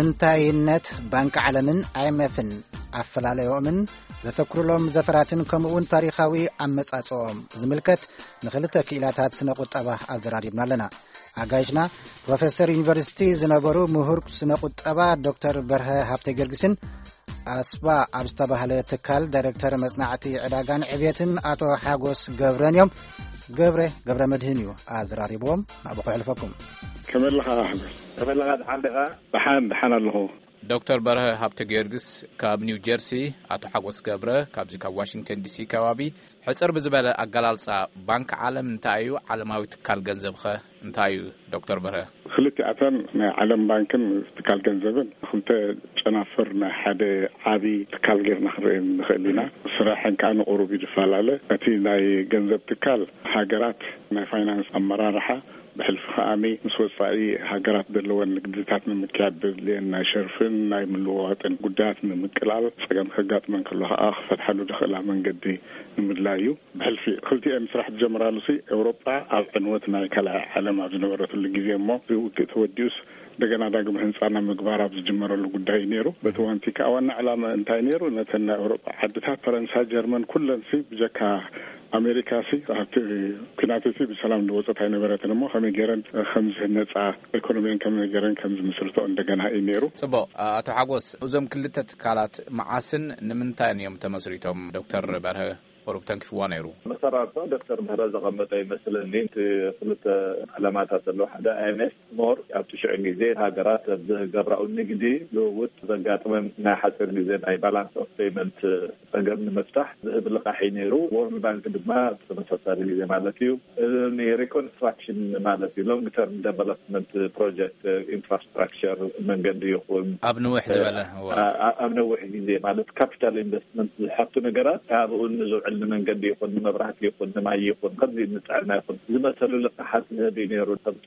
እንታይነት ባንክ ዓለምን ኣይኤምኤፍን፣ ኣፈላለዮምን ዘተኩርሎም ዘፈራትን ከምኡውን ታሪኻዊ ኣመጻጽኦም ዝምልከት ንኽልተ ክኢላታት ስነ ቁጠባ ኣዘራሪብና ኣለና። ኣጋይሽና ፕሮፌሰር ዩኒቨርሲቲ ዝነበሩ ምሁር ስነ ቁጠባ ዶክተር በርሀ ሃብተ ጊዮርጊስን ኣስባ ኣብ ዝተባህለ ትካል ዳይሬክተር መጽናዕቲ ዕዳጋን ዕብየትን ኣቶ ሓጎስ ገብረን እዮም። ገብረ ገብረ መድህን እዩ ኣዘራሪብዎም። ናብኡ ከሕልፈኩም። ከመለኻ ኣሕጎስ? ከመለኻ፣ ደሓን ዲኻ? ደሓን ደሓን ኣለኹ። ዶክተር በርሀ ሃብተ ጊዮርጊስ ካብ ኒው ጀርሲ፣ ኣቶ ሓጎስ ገብረ ካብዚ ካብ ዋሽንግተን ዲሲ ከባቢ። ሕጽር ብዝበለ ኣገላልጻ፣ ባንክ ዓለም እንታይ እዩ? ዓለማዊ ትካል ገንዘብኸ እንታይ እዩ? ዶክተር በርሀ። ክልቲኣተን ናይ ዓለም ባንክን ትካል ገንዘብን ክልተ ጨናፍር ናይ ሓደ ዓቢ ትካል ጌርና ክንርኢ ንኽእል ኢና። ስራሐን ከዓ ንቑሩብ እዩ ዝፈላለ። እቲ ናይ ገንዘብ ትካል ሃገራት ናይ ፋይናንስ ኣመራርሓ ብሕልፊ ከኣኒ ምስ ወጻኢ ሃገራት ዘለወን ንግድታት ንምክያድ ዘድልየን ናይ ሸርፍን ናይ ምልውዋጥን ጉዳያት ንምቅላል፣ ጸገም ከጋጥመን ከሎ ከኣ ክፈትሓሉ ዝኽእላ መንገዲ ንምድላይ እዩ። ብሕልፊ ክልቲኤን ስራሕ ዝጀምራሉ ሲ ኤውሮጳ ኣብ ዕንወት ናይ ካልኣይ ዓለም ኣብ ዝነበረትሉ ግዜ እሞ እዚ ውግእ ተወዲኡስ እንደገና ዳግም ህንጻ ናብ ምግባር ኣብ ዝጅመረሉ ጉዳይ እዩ ነይሩ። በቲ ዋንቲ ከኣ ዋና ዕላማ እንታይ ነይሩ? ነተን ናይ ኤውሮጳ ዓድታት ፈረንሳ፣ ጀርመን ኩለን ሲ ብጀካ ኣሜሪካ ሲ ኣብቲ ኲናት እቲ ብሰላም ዝወፀት ኣይነበረትን እሞ ከመይ ገይረን ከም ዝህነፃ ኢኮኖሚን ከመይ ገይረን ከም ዝምስርቶ እንደገና እዩ ነይሩ። ጽቡቕ። ኣቶ ሓጎስ፣ እዞም ክልተ ትካላት መዓስን ንምንታይን እዮም ተመስሪቶም? ዶክተር በርሀ ቁሩብ ተንኪፍዋ ነይሩ። መሰራርታ ዶክተር ምህረት ዘቐመጠ ይመስለኒ። እቲ ክልተ ዕላማታት ኣለዎ። ሓደ ኣይኤምኤፍ ሞር ኣብቲ ሽዑ ግዜ ሃገራት ኣብ ዝገብራኡ ንግዲ ልውውጥ ዘጋጥመን ናይ ሓፂር ግዜ ናይ ባላንስ ኦፍ ፔይመንት ጸገም ንምፍታሕ ዝህብ ልቓሕ እዩ ነይሩ። ወርልድ ባንክ ድማ ተመሳሳሊ ግዜ ማለት እዩ። ሪኮንስትራክሽን ማለት እዩ። ሎንግ ተርም ዴቨሎፕመንት ፕሮጀክት፣ ኢንፍራስትራክቸር፣ መንገዲ ይኹን ኣብ ንውሕ ዝበለ እዋ። ኣብ ነዊሕ ግዜ ማለት ካፒታል ኢንቨስትመንት ዝሓቱ ነገራት ኣብኡ ንዝውዕል ንመንገዲ ይኹን ንመብራህቲ ይኹን ንማይ ይኹን ከምዚ ንጥዕና ይኹን ዝመሰሉ ልቃሓት ዝህብ እዩ ነይሩ። ከምቲ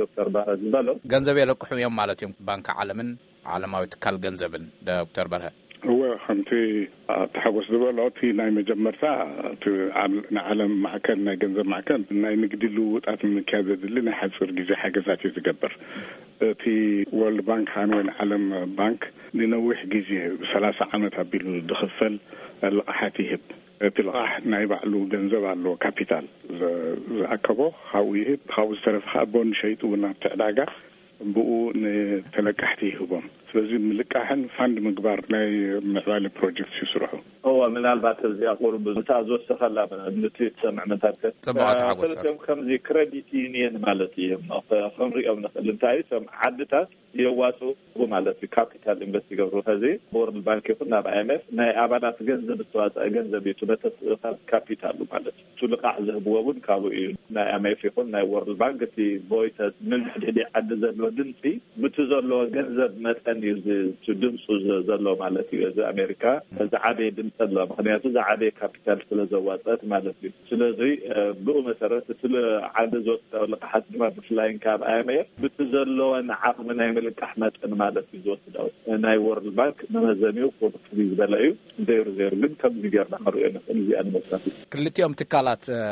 ዶክተር ባረ ዝበሎ። ገንዘብ የለቅሑ እዮም ማለት እዮም ባንክ ዓለምን ዓለማዊ ትካል ገንዘብን። ዶክተር በርሀ። እወ፣ ከምቲ ኣቶ ሓጎስ ዝበሎ፣ እቲ ናይ መጀመርታ እቲ ዓል-፣ ንዓለም ማዕከን፣ ናይ ገንዘብ ማዕከን ናይ ንግዲ ልውውጣት ንምክያድ ዘድሊ ናይ ሓፂር ግዜ ሓገዛት እዩ ዝገብር። እቲ ወርልድ ባንክ ከኣ ወይ ንዓለም ባንክ ንነዊሕ ግዜ፣ ሰላሳ ዓመት ኣቢሉ ዝኽፈል ልቓሓት ይህብ። እቲ ልቓሕ ናይ ባዕሉ ገንዘብ ኣለዎ፣ ካፒታል ዘ-፣ ዝኣከቦ ካብኡ ይህብ። ካብኡ ዝተረፈ ከኣ ቦንድ ሸይጡ እውን ኣብቲ ዕዳጋ ብኡ ንተለቃሕቲ ይህቦም። ስለዚ ምልቃሕን ፋንድ ምግባር ናይ ምዕባለ ፕሮጀክት እዩ ስርሑ። እዎ፣ ምናልባት እዚኣ ቁሩብ እታ ዝወሰኸላ ንቲ ትሰምዕ መታከል ጽቡቕ፣ ኣቶ ሓጎስ። ክልቲኦም ከምዚ ክረዲት ዩኒየን ማለት እዮም። ከ-፣ ክንሪኦም ንኽእል። እንታይ እዩ? እቶም ዓድታት የዋጽኡ ማለት እዩ። ካፒታል ኢንቨስት ይገብሩ። ከዚ ወርልድ ባንክ ይኹን ናብ ኣይኤምኤፍ ናይ ኣባላት ገንዘብ ዝተዋጽአ ገንዘብ እዩ። እቲ መተስእኻብ ካፒታሉ ማለት እዩ። እቲ ልቓሕ ዝህብዎ እውን ካብኡ እዩ። ናይ ኣይኤምኤፍ ይኹን ናይ ወርልድ ባንክ እቲ ቮይሰስ ንድሕድሕዲ ዓዲ ዘሎ ድምፂ ብቲ ዘለዎ ገንዘብ መጠን እዩ ዝ-፣ እቲ ድምፁ ዘ-፣ ዘሎ ማለት እዩ። እዚ ኣሜሪካ ዝዓበየ ድምፂ ኣለዋ። ምኽንያቱ ዝዓበየ ካፒታል ስለ ዘዋፀት ማለት እዩ። ስለዚ፣ እ፣ ብኡ መሰረት እቲ ል-፣ ዓዲ ዝወስዳዊ ልቃሓት ድማ ብፍላይ ካብ ኣይኤምኤፍ ብቲ ዘለወን ዓቕሚ ናይ ምልቃሕ መጠን ማለት እዩ ዝወስዳዊ። ናይ ወርልድ ባንክ መመዘኒኡ ቁሩብ ፍልይ ዝበለ እዩ። ዘይሩ ዘይሩ ግን ከምዚ ጌርና ክንሪኦ ንኽእል። እዚኣ ንምውሳድ እዩ። ክልቲኦም ትካላት፣ እ፣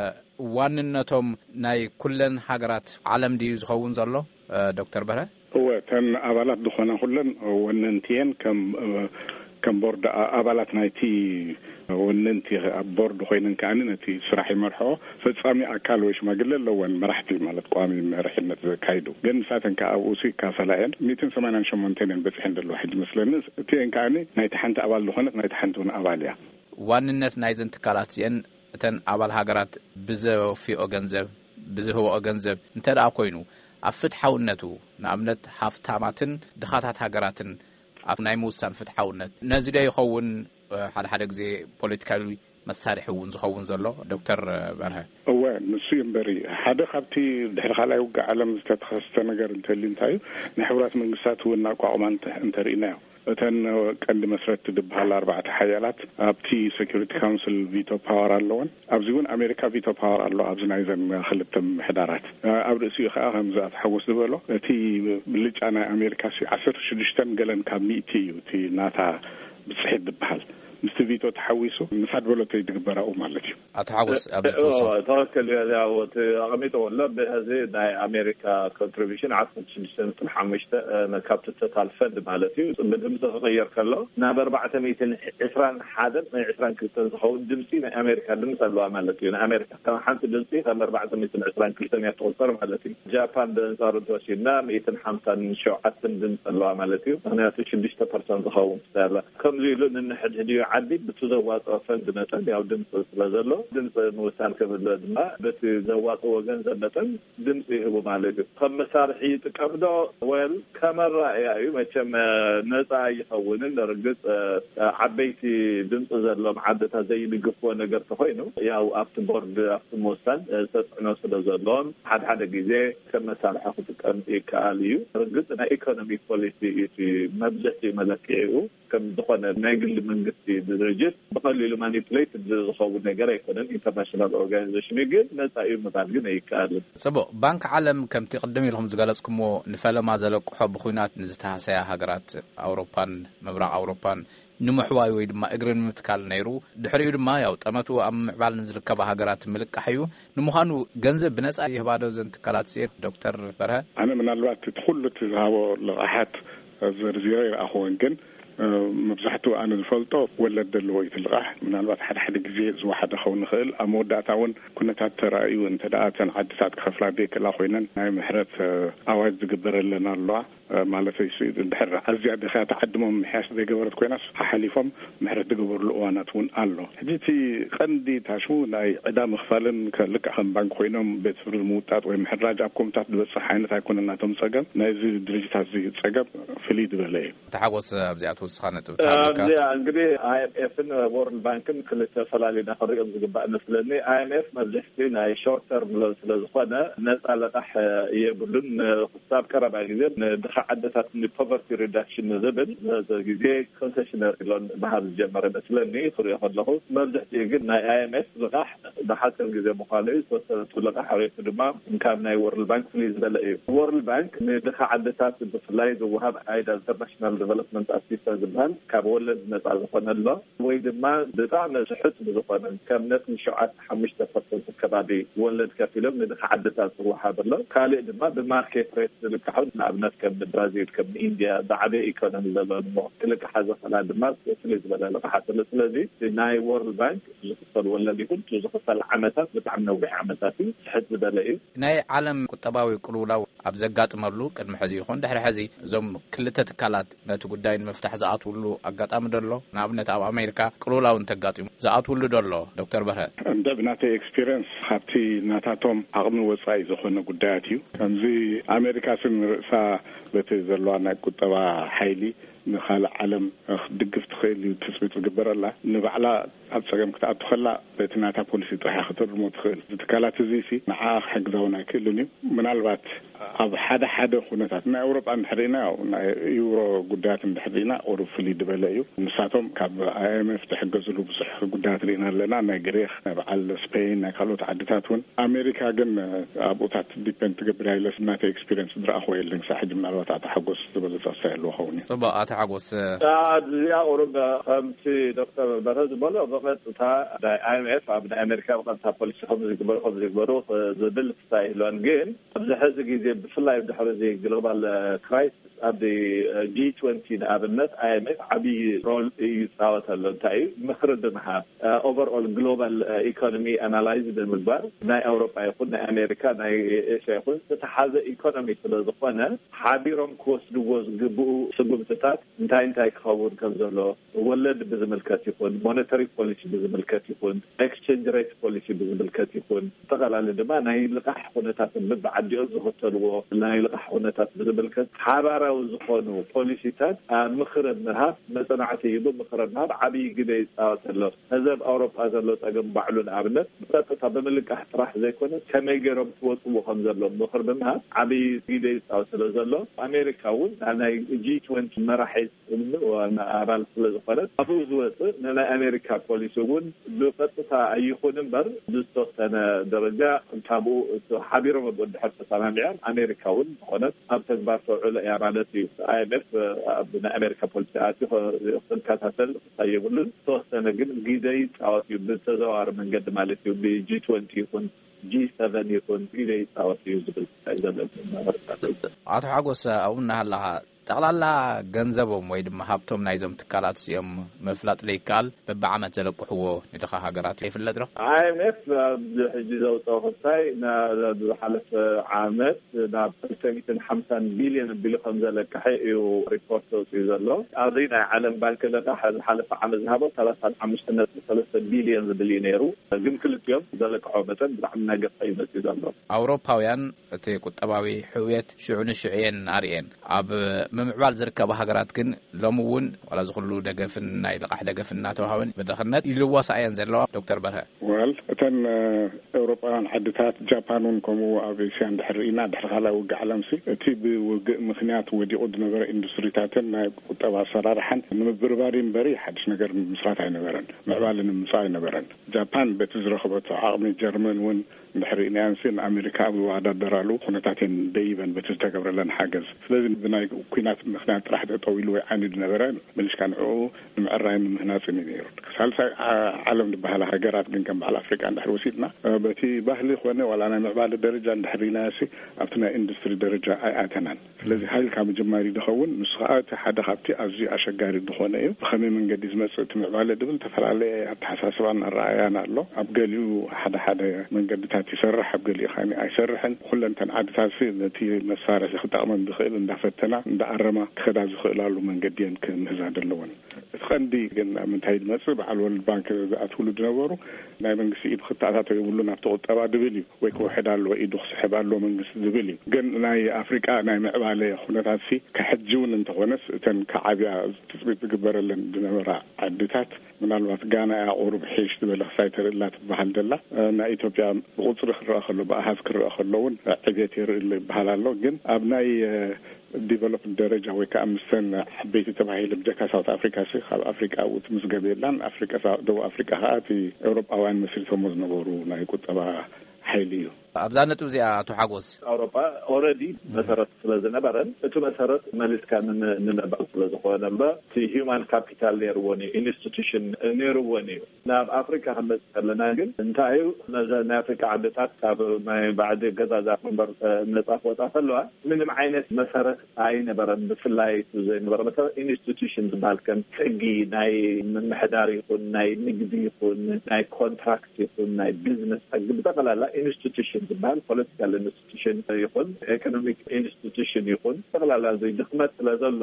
ዋንነቶም ናይ ኩለን ሃገራት ዓለም ድዩ ዝኸውን ዘሎ፣ እ፣ ዶክተር በርሀ? እወ፣ እተን ኣባላት ዝኾና ኩለን ወነንቲ እየን። ከም፣ ከም ቦርድ ኣ-፣ ኣባላት ናይቲ ወነንቲ ኣብ ቦርድ ኮይነን ከኣ ነቲ ስራሕ ይመርሕኦ። ፈጻሚ ኣካል ወይ ሽማግለ ኣለወን፣ መራሕቲ ማለት ቋሚ መሪሕነት ዘካይዱ። ግን ንሳተን ከኣ ኣብኡ ሲ ይካፈላ እየን። ሚእትን ሰማንያን ሸሞንተን እየን በጺሐን ዘለዋ ሕጂ መስለኒ። እቲአን ከኣ ናይቲ ሓንቲ ኣባል ዝኾነት ናይቲ ሓንቲ እውን ኣባል እያ። ዋንነት ናይዘን ትካላት እዚአን እተን ኣባል ሃገራት ብዘወፍኦ ገንዘብ፣ ብዝህብኦ ገንዘብ እንተ ደኣ ኮይኑ፣ ኣብ ፍትሓውነቱ፣ ንኣብነት ሃፍታማትን ድኻታት ሃገራትን ኣብ ናይ ምውሳን ፍትሓውነት፣ ነዚ ዶ ይኸውን፣ እ፣ ሓደ ሓደ ግዜ ፖለቲካዊ መሳርሒ እውን ዝኸውን ዘሎ? ዶክተር በርሀ። እወ፣ ንሱ እዩ እምበሪ። ሓደ ካብቲ ድሕሪ ካልኣይ ውግእ ዓለም ዝተተኸስተ ነገር እንተልዩ እንታይ እዩ፣ ናይ ሕቡራት መንግስታት እውን ኣቋቑማ እንተ-፣ እንተርኢናዮ፣ እተን ቀንዲ መስረትቲ ዝበሃላ ኣርባዕተ ሓያላት ኣብቲ ሴኩሪቲ ካውንስል ቪቶ ፓወር ኣለወን። ኣብዚ እውን ኣሜሪካ ቪቶ ፓወር ኣሎ፣ ኣብዚ ናይዘን ክልተ ምምሕዳራት። ኣብ ርእሲኡ ከዓ ከምዚ ኣቶ ሓጎስ ዝበሎ፣ እቲ ብልጫ ናይ ኣሜሪካ ሲ ዓሰርተ ሽዱሽተን ገለን ካብ ሚእቲ እዩ፣ እቲ ናታ ብፅሒት ዝበሃል። ምስቲ ቪቶ ተሓዊሱ፣ ንሳ ዝበለቶ እዩ ዝግበር ኣብኡ ማለት እዩ። ኣቶ ሓጎስ፣ ኣብዚ ትወስዶ? ተወከል ያው ኣቐሚጠ ወሎ ብዚ ናይ ኣሜሪካ ኮንትሪቢሽን ዓሰርተ ሽዱሽተ ነጥቢ ሓሙሽተ ካብቲ ቶታል ፈንድ ማለት እዩ። ብድምፂ ክቕየር ከሎ ናብ ኣርባዕተ ሚእትን ዕስራን ሓደን ናይ ዕስራን ክልተን ዝኸውን ድምፂ ናይ ኣሜሪካ ድምፂ ኣለዋ ማለት እዩ። ንኣሜሪካ ከም ሓንቲ ድምፂ ከም ኣርባዕተ ሚእትን ዕስራን ክልተን እያ ትቑፀር ማለት እዩ። ጃፓን ብኣንፃሩ እንተወሲድና ሚእትን ሓምሳን ሸውዓተን ድምፂ ኣለዋ ማለት እዩ። ምክንያቱ ሽዱሽተ ፐርሰንት ዝኸውን ክሳላ ከምዚ ኢሉ ንንሕድሕድኡ ዓዲ ብቲ ዘዋፅኦ ፈንድ መጠን ያው ድምፂ ስለ ዘሎ ድምፂ ምውሳን ክብል ድማ በቲ ዘዋፅዎ ገንዘብ መጠን ድምፂ ይህቡ ማለት እዩ። ከም መሳርሒ ይጥቀም ዶ? ወል ከመራእያ እዩ። መቸም ነፃ ኣይኸውንን። ርግፅ ዓበይቲ ድምፂ ዘሎም ዓድታት ዘይድግፍዎ ነገር ተኮይኑ ያው ኣብቲ ቦርድ ኣብቲ ምውሳን ተፅዕኖ ስለ ዘለዎም ሓደ ሓደ ግዜ ከም መሳርሒ ክጥቀም ይከኣል እዩ። ርግፅ ናይ ኢኮኖሚ ፖሊሲ እዩ እቲ መብዝሕትኡ መለክዒኡ። ከም ዝኾነ ናይ ግሊ መንግስቲ ድርጅት ብቐሊሉ ማኒፕሌት ዝኸውን ነገር ኣይኮነን። ኢንተርናሽናል ኦርጋናይዜሽን ግን ነፃ እዩ ምባል ግን ኣይከኣልን። ጽቡቕ። ባንክ ዓለም ከምቲ ቅድም ኢልኩም ዝገለጽኩምዎ ንፈለማ ዘለቅሖ ብኹናት ንዝተሃሰያ ሃገራት ኣውሮፓን ምብራቕ ኣውሮፓን ንምሕዋይ ወይ ድማ እግሪ ንምትካል ነይሩ። ድሕሪኡ ድማ ያው ጠመቱ ኣብ ምዕባል ንዝርከባ ሃገራት ምልቃሕ እዩ። ንምዃኑ ገንዘብ ብነጻ ይህባዶ ዘን ትካላት እዚኤን ዶክተር በርሀ? ኣነ ምናልባት እቲ ኩሉ እቲ ዝሃቦ ልቓሓት ዘርዚረ ይረኣኹዎን ግን መብዛሕትኡ ኣነ ዝፈልጦ ወለድ ዘለዎ እዩ እቲ ልቓሕ። ምናልባት ሓደ ሓደ ግዜ ዝወሓደ ክኸውን ይኽእል። ኣብ መወዳእታ እውን ኩነታት ተራእዩ እንተ ደኣ እተን ዓድታት ክኸፍላ ዘይክእላ ኮይነን ናይ ምሕረት ኣዋጅ ዝግበረለን ኣለዋ። ማለት እዩ። እንድሕር ኣዝያ ድኽያ ተዓድሞም ምሕያሽ ዘይገበረት ኮይናስ ሓሓሊፎም ምሕረት ዝገበርሉ እዋናት እውን ኣሎ። ሕጂ እቲ ቀንዲ ታሽሙ ናይ ዕዳ ምኽፋልን ከ-፣ ልክዕ ከም ባንክ ኮይኖም ቤት ፍርዲ ምውጣጥ ወይ ምሕራጅ ኣብ ኮምታት ዝበፅሕ ዓይነት ኣይኮነን ናቶም ፀገም። ናይዚ ድርጅታት እዚ ፀገም ፍልይ ዝበለ እዩ። ተሓጎስ ኣብዚኣ ትውስኻ ነጥብ ተሃልካ? ኣብዚኣ እንግዲህ ኣይኤምኤፍን ወርልድ ባንክን ክልተ ፈላሊና ክንሪኦም ዝግባእ መስለኒ። ኣይኤምኤፍ መብዝሕቲ ናይ ሾርት ተርም ሎን ስለ ዝኾነ ነፃ ለቃሕ የብሉን። ክሳብ ቀረባ ግዜ ንድኻ ዓድታት ንፖቨርቲ ሪዳክሽን ንዝብል ዘ ግዜ ኮንሴሽነሪ ሎን ምሃብ ዝጀመረ መስለኒ። ክሪኦ ከለኹ መብዝሕትኡ ግን ናይ ኣይኤምኤፍ ልቓሕ ብሓፂር ግዜ ምዃኑ እዩ። ዝተወሰነቱ ልቓሕ ሬቱ ድማ ካብ ናይ ወርልድ ባንክ ፍልይ ዝበለ እዩ። ወርልድ ባንክ ንድኻ ዓድታት ብፍላይ ዝወሃብ ኣይዳ ኢንተርናሽናል ዲቨሎፕመንት ኣሲስተንስ ዝበሃል ካብ ወለድ ነፃ ዝኾነ ኣሎ ወይ ድማ ብጣዕሚ ስሑት ብዝኾነ ከም ነጥቢ ሸውዓተ ሓሙሽተ ፐርሰንት ከባቢ ወለድ ከፊሎም ንድኻ ዓድታት ዝወሃብ ኣሎ። ካልእ ድማ ብማርኬት ሬት ዝልቃሑ ንኣብነት ከም ብራዚል ከም ኢንድያ ዝዓበየ ኢኮኖሚ ዘለወን እሞ ክልቃሓ ዝኽእላ ድማ ፍልይ ዝበለ ልቓሓት ኣሎ። ስለዚ ናይ ወርልድ ባንክ ዝኽፈል ወለድ ይኹን እቲ ዝኽፈል ዓመታት ብጣዕሚ ነዊሕ ዓመታት እዩ። ስሕት ዝበለ እዩ። ናይ ዓለም ቁጠባዊ ቅልውላው ኣብ ዘጋጥመሉ ቅድሚ ሕዚ ይኹን ድሕሪ ሕዚ እዞም ክልተ ትካላት ነቲ ጉዳይ ንምፍታሕ ዝኣትውሉ ኣጋጣሚ ዶ ኣሎ? ንኣብነት ኣብ ኣሜሪካ ቅልውላው እንተጋጢሙ ዝኣትውሉ ዶ ኣሎ? ዶክተር በርሀ። እንደ ብናተይ ኤክስፒሪየንስ ካብቲ ናታቶም ዓቕሚ ወፃኢ ዝኾነ ጉዳያት እዩ። ከምዚ ኣሜሪካ ስም ርእሳ በቲ ዘለዋ ናይ ቁጠባ ሓይሊ ንኻልእ ዓለም ክትድግፍ ትኽእል እዩ ትፅቢት ዝግበረላ። ንባዕላ ኣብ ፀገም ክትኣቱ ከላ በቲ ናታ ፖሊሲ ጥራሕ ክትርሞ ትኽእል። እዚ ትካላት እዚ ሲ ንዓ ክሕግዛ እውን ኣይክእልን እዩ። ምናልባት ኣብ ሓደ ሓደ ኩነታት ናይ ኣውሮጳ እንድሕር ርኢና፣ ያው ናይ ዩሮ ጉዳያት እንድሕር ርኢና ቁሩብ ፍልይ ዝበለ እዩ። ንሳቶም ካብ ኣይኤምኤፍ ዝሕገዝሉ ብዙሕ ጉዳያት ርኢና ኣለና። ናይ ግሪክ፣ ናይ በዓል ስፔን፣ ናይ ካልኦት ዓድታት እውን። ኣሜሪካ ግን ኣብኡታት ዲፔንድ ትገብር እያ ኢለስ ናተይ ኤክስፒሪየንስ ዝረኣኹዎ የለን ክሳብ ሕጂ። ምናልባት ኣቶ ሓጎስ ዝበለጸ ክሳይ ኣለዎ ኸውን እዩ። ጽቡቕ፣ ኣቶ ሓጎስ። እዚኣ ቁሩብ ከምቲ ዶክተር በርሀ ዝበሎ ብቐጥታ ናይ ኣይኤምኤፍ ኣብ ናይ ኣሜሪካ ብቐጥታ ፖሊሲ ከም ዝግበሩ ከም ዝግበሩ ዝብል ክሳይ ይህልወን ግን ኣብዚ ሕዚ ግዜ ብፍላይ ድሕሪ እዚ ግሎባል ክራይሲስ ኣብዚ ጂ ትወንቲ ንኣብነት ኣይኤምኤፍ ዓብዪ ሮል ይፃወት ኣሎ። እንታይ እዩ? ምኽሪ ብምሃብ ኦቨርኦል ግሎባል ኢኮኖሚ ኣናላይዝ ብምግባር ናይ ኣውሮፓ ይኹን ናይ ኣሜሪካ ናይ ኤሽያ ይኹን ዝተሓዘ ኢኮኖሚ ስለ ዝኾነ ሓቢሮም ክወስድዎ ዝግብኡ ስጉምትታት እንታይ እንታይ ክኸውን ከም ዘሎ ወለድ ብዝምልከት ይኹን ሞኔተሪ ፖሊሲ ብዝምልከት ይኹን ኤክስቼንጅ ሬት ፖሊሲ ብዝምልከት ይኹን ኣጠቓላሊ ድማ ናይ ልቓሕ ኩነታትን በብዓዲኦም ዝኽተልዎ ናይ ልቓሕ ኩነታት ብዝምልከት ሓባራዊ ዝኾኑ ፖሊሲታት ኣብ ምኽረ ምሃብ መፅናዕቲ ሂቡ ምኽረ ምሃብ ዓብዪ ግደ ይፃወት ኣሎ። እዚ ኣብ ኣውሮፓ ዘሎ ፀገም ባዕሉ ንኣብነት ብቀጥታ ብምልቃሕ ጥራሕ ዘይኮነ ከመይ ገይሮም ክወፅዎ ከም ዘለዎም ምኽሪ ብምሃብ ዓብዪ ግደ ይፃወት ስለ ዘሎ ኣሜሪካ እውን ናይ ጂ ፖይንት መራሒ ጽምዶ ዋና ኣባል ስለ ዝኾነ ኣብኡ ዝወፅእ ንናይ ኣሜሪካ ፖሊሲ እውን ብቐጥታ ኣይኹን እምበር ብዝተወሰነ ደረጃ ካብኡ እቲ ሓቢሮም ኣብኡ እንድሕር ተሰማሚዖም ኣሜሪካ እውን ዝኾነት ኣብ ተግባር ተውዕሎ እያ ማለት እዩ። ኣይኤምኤፍ ኣብ ናይ ኣሜሪካ ፖሊሲ ኣትዩ ክከታተል ክሳይ የብሉን። ዝተወሰነ ግን ግደ ይፃወት እዩ ብተዘዋዋሪ መንገዲ ማለት እዩ። ብጂ ትወንቲ ይኹን ጂ ሰቨን ይኹን ግደ ይፃወት እዩ ዝብል እዩ ዘሎ። ኣቶ ሓጎስ ኣብኡ እናሃለኻ ጠቕላላ ገንዘቦም ወይ ድማ ሃብቶም ናይዞም ትካላት እዚኦም ምፍላጥ ዘይከኣል በብዓመት ዘለቅሕዎ ንድኻ ሃገራት ይፍለጥ ዶ? ኣይኤምኤፍ ኣብዚ ሕጂ ዘውፅኦ ክሳይ ዝሓለፈ ዓመት ናብ ክልተ ሚእትን ሓምሳን ቢልዮን ኣቢሉ ከም ዘለቅሐ እዩ ሪፖርት ዘውፅኡ ዘሎ። ኣብዚ ናይ ዓለም ባንክ ለቃሕ ዝሓለፈ ዓመት ዝሃቦ ሰላሳን ሓሙሽተ ነጥቢ ሰለስተ ቢልዮን ዝብል እዩ ነይሩ። ግን ክልቲኦም ዘለቅሖ መጠን ብጣዕሚ እናገፍሐ እዩ መፅኡ ዘሎ። ኣውሮፓውያን እቲ ቁጠባዊ ሕውየት ሽዑ ንሽዑ እየን ኣርእየን። ኣብ ምምዕባል ዝርከባ ሃገራት ግን ሎሚ እውን ዋላ ዝኩሉ ደገፍን ናይ ልቓሕ ደገፍን እናተዋሃበን ብድኽነት ይልወሳ እየን ዘለዋ። ዶክተር በርሀ። ወል እተን ኤውሮጳውያን ዓድታት ጃፓን እውን ከምኡ ኣብ ኤስያ እንድሕር ርኢና ድሕሪ ካልኣይ ውግእ ዓለም ሲ እቲ ብውግእ ምክንያት ወዲቑ ዝነበረ ኢንዱስትሪታትን ናይ ቁጠባ ኣሰራርሓን ንምብርባር እምበሪ ሓድሽ ነገር ምስራት ኣይነበረን፣ ምዕባለ ንምምፃእ ኣይነበረን። ጃፓን በቲ ዝረኸበቶ ዓቕሚ ጀርመን እውን እንድሕር ርኢናየን ሲ ንኣሜሪካ ኣብ ዝወዳደራሉ ኩነታት እየን ደይበን በቲ ዝተገብረለን ሓገዝ። ስለዚ ብናይ ኩናት ምክንያት ጥራሕ ጠጠው ኢሉ ወይ ዓንዩ ዝነበረ መሊስካ ንዕኡ ንምዕራይን ንምህናፅን እዩ ነይሩ። ሳልሳይ ዓለም ዝበሃላ ሃገራት ግን ከም በዓል ኣፍሪቃ እንድሕር ወሲድና በቲ ባህሊ ኮነ ዋላ ናይ ምዕባለ ደረጃ እንድሕር ርኢናዮ ሲ ኣብቲ ናይ ኢንዱስትሪ ደረጃ ኣይኣተናን። ስለዚ ሃይልካ ምጅማር እዩ ዝኸውን። ንሱ ከዓ እቲ ሓደ ካብቲ ኣዝዩ ኣሸጋሪ ዝኾነ እዩ። ብኸመይ መንገዲ ዝመፅእ እቲ ምዕባለ ዝብል ዝተፈላለየ ኣተሓሳስባን ኣረኣያን ኣሎ። ኣብ ገሊኡ ሓደ ሓደ መንገድታት ይሰርሕ፣ ኣብ ገሊኡ ከ ኣይሰርሕን። ኩለንተን ዓድታት ሲ ነቲ መሳርሒ ክጠቕመን ዝኽእል እንዳፈተና እንዳኣረማ ክኸዳ ዝኽእላሉ መንገዲ እየን ክምህዛ ዘለወን። እቲ ቀንዲ ግን ኣብ ምንታይ ዝመፅእ በዓል ወርልድ ባንክ ዝኣትውሉ ዝነበሩ ናይ መንግስቲ ኢድ ክተኣታተው የብሉን ኣብቲ ቁጠባ ዝብል እዩ። ወይ ክውሕድ ኣለዎ ኢዱ ክስሕብ ኣለዎ መንግስቲ ዝብል እዩ። ግን ናይ ኣፍሪቃ ናይ ምዕባለ ኩነታት ሲ ከሕጂ እውን እንተኾነስ እተን ከዓብያ ትፅቢት ዝግበረለን ዝነበራ ዓድታት ምናልባት ጋና እያ ቁሩብ ሒሽ ዝበለ ክሳይ ተርእላ ትበሃል ዘላ። ናይ ኢትዮጵያ ብቁፅሪ ክረአ ከሎ ብኣሃዝ ክረአ ከሎ እውን ዕቤት የርኢ ኣሎ ይበሃል ኣሎ። ግን ኣብ ናይ ዲቨሎፕድ ደረጃ ወይ ከዓ ምስተን ዓበይቲ ተባሂሉ ብጀካ ሳውት ኣፍሪካ ሲ ካብ ኣፍሪቃ ኣብኡ ትምዝገብ የላን። ኣፍሪቃ ደቡብ ኣፍሪቃ ከዓ እቲ ኤውሮጳውያን መስሪቶሞ ዝነበሩ ናይ ቁጠባ ሓይሊ እዩ። ኣብዛ ነጥብ እዚኣ ኣቶ ሓጎስ ኣውሮጳ ኦረዲ መሰረት ስለ ዝነበረን እቲ መሰረት መሊስካ ንነባር ስለ ዝኾነ እምበር እቲ ሂማን ካፒታል ነይርዎን እዩ ኢንስቲቱሽን ነይርዎን እዩ። ናብ ኣፍሪካ ክንመፅእ ከለና ግን እንታይ እዩ ነዘ ናይ ኣፍሪካ ዓድታት ካብ ናይ ባዕዲ ገዛዛ እምበር ነፃ ክወፃ ከለዋ ምንም ዓይነት መሰረት ኣይነበረን። ብፍላይ ዘይነበረ መሰረት ኢንስቲቱሽን ዝበሃል ከም ሕጊ ናይ ምምሕዳር ይኹን ናይ ንግዲ ይኹን ናይ ኮንትራክት ይኹን ናይ ቢዝነስ ሕጊ ብጠቕላላ ኢንስቲቱሽን ዝበሃል ፖለቲካል ኢንስቲቱሽን ይኹን ኢኮኖሚክ ኢንስቲቱሽን ይኹን ጠቕላላ እዚ ድኽመት ስለ ዘሎ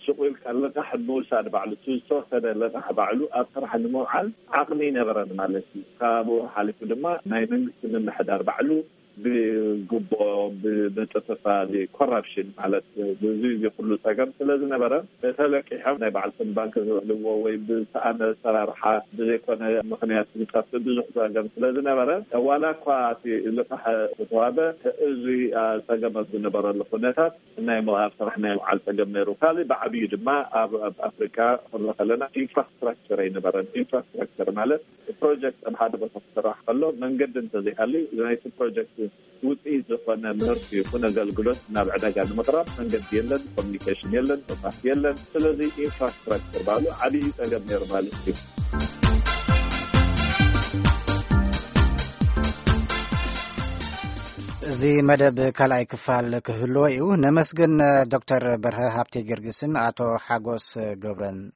ሱቕ ኢልካ ልቓሕ ምውሳድ ባዕሉ እቲ ዝተወሰደ ልቓሕ ባዕሉ ኣብ ስራሕ ንምውዓል ዓቕሚ ይነበረን ማለት እዩ። ካብኡ ሓሊፉ ድማ ናይ መንግስቲ ምምሕዳር ባዕሉ ብጉቦ ብጥፍፋል ኮራፕሽን ማለት ብዙ እዚ ኩሉ ፀገም ስለ ዝነበረ ተለቂሖም ናይ ባዕልቶም ባንክ ዝውዕልዎ ወይ ብዝሰኣነ ኣሰራርሓ ብዘይኮነ ምክንያት ዝጠፍእ ብዙሕ ፀገም ስለ ዝነበረ ዋላ እኳ እቲ ልቃሕ ዝተዋበ እዚ ፀገም ኣብ ዝነበረሉ ኩነታት ናይ ምውሃብ ስራሕ ናይ ምውዓል ፀገም ነይሩ። ካልእ ብዓብዩ ድማ ኣብ ኣፍሪካ ክንርኢ ከለና ኢንፍራስትራክቸር ኣይነበረን። ኢንፍራስትራክቸር ማለት ፕሮጀክት ኣብ ሓደ ቦታ ክስራሕ ከሎ መንገዲ እንተዘይሃልዩ ናይቲ ፕሮጀክት ውፅኢት ዝኾነ ምህርቲ ይኹን ኣገልግሎት ናብ ዕዳጋ ንምቕራብ መንገዲ የለን፣ ኮሚኒኬሽን የለን፣ መብራህቲ የለን። ስለዚ ኢንፍራስትራክቸር ባዕሉ ዓብዪ ፀገም ነይሩ ማለት እዩ። እዚ መደብ ካልኣይ ክፋል ክህልዎ እዩ። ነመስግን ዶክተር በርሀ ሃብቴ ጊዮርጊስን ኣቶ ሓጎስ ገብረን።